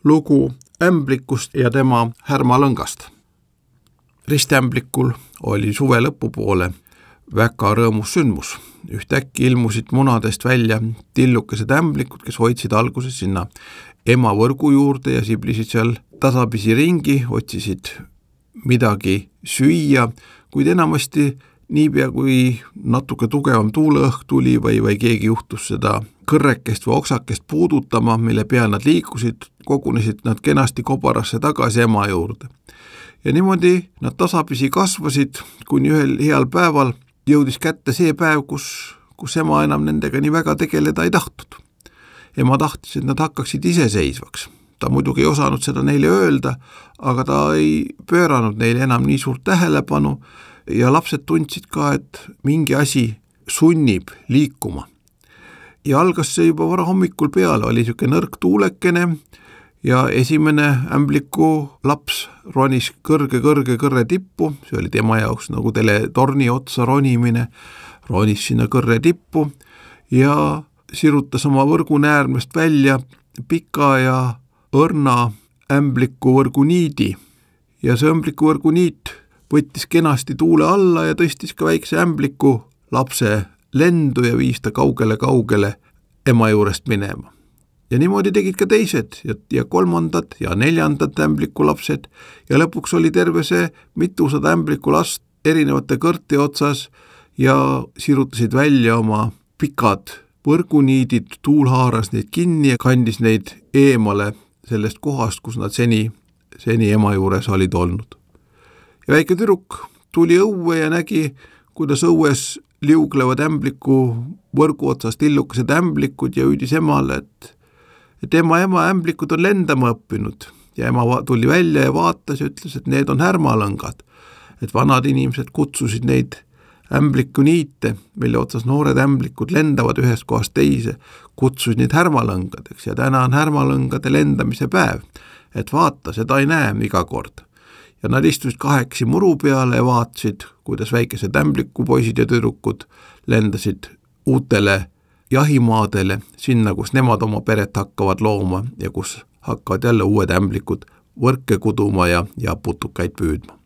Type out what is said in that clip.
lugu ämblikust ja tema härmalõngast. Ristiämblikul oli suve lõpupoole väga rõõmus sündmus. Ühtäkki ilmusid munadest välja tillukesed ämblikud, kes hoidsid alguses sinna ema võrgu juurde ja siblisid seal tasapisi ringi, otsisid midagi süüa, kuid enamasti niipea kui natuke tugevam tuuleõhk tuli või keegi juhtus seda kõrrekest või oksakest puudutama, mille peal nad liikusid, kogunesid nad kenasti kobarasse tagasi ema juurde. Ja niimoodi nad tasapisi kasvasid, kuni ühel heal päeval jõudis kätte see päev, kus ema enam nendega nii väga tegeleda ei tahtnud. Ema tahtis, et nad hakkaksid iseseisvaks. Ta muidugi ei osanud seda neile öelda, aga ta ei pööranud neile enam nii suurt tähelepanu ja lapsed tundsid ka, et mingi asi sunnib liikuma. Ja algas see juba vara hommikul peale, oli niisugune nõrk tuulekene ja esimene ämbliku laps ronis kõrge tippu, see oli tema jaoks nagu teletorni otsa ronimine, ronis sinna kõrre tippu ja sirutas oma võrgunäärmest välja pika ja õrna ämbliku võrguniidi ja see ämbliku võrguniit võttis kenasti tuule alla ja tõstis ka väikse ämbliku lapse lendu ja viis ta kaugele ema juurest minema. Ja niimoodi tegid ka teised ja kolmandad ja neljandad ämbliku lapsed ja lõpuks oli terve see mitusada ämbliku last erinevate kõrti otsas ja sirutasid välja oma pikad võrguniidid, tuul haaras neid kinni ja kandis neid eemale sellest kohast, kus nad seni ema juures olid olnud. Ja väike tüdruk tuli õue ja nägi, kuidas õues liuglevad ämbliku võrgu otsast tillukesed ämblikud ja hüüdis emale, et ema ämblikud on lendama õppinud ja ema tuli välja ja vaatas ja ütles, et need on härmalõngad, et vanad inimesed kutsusid neid ämblikuniite, mille otsas noored ämblikud lendavad ühest kohast teise, kutsusid neid härmalõngadeks ja täna on härmalõngade lendamise päev, et vaata, seda ei näe iga kord. Ja nad istusid kahekesi muru peale ja vaatasid, kuidas väikesed ämblikupoisid ja tüdrukud lendasid uutele jahimaadele, sinna, kus nemad oma peret hakkavad looma ja kus hakkavad jälle uued ämblikud võrke kuduma ja putukaid püüdma.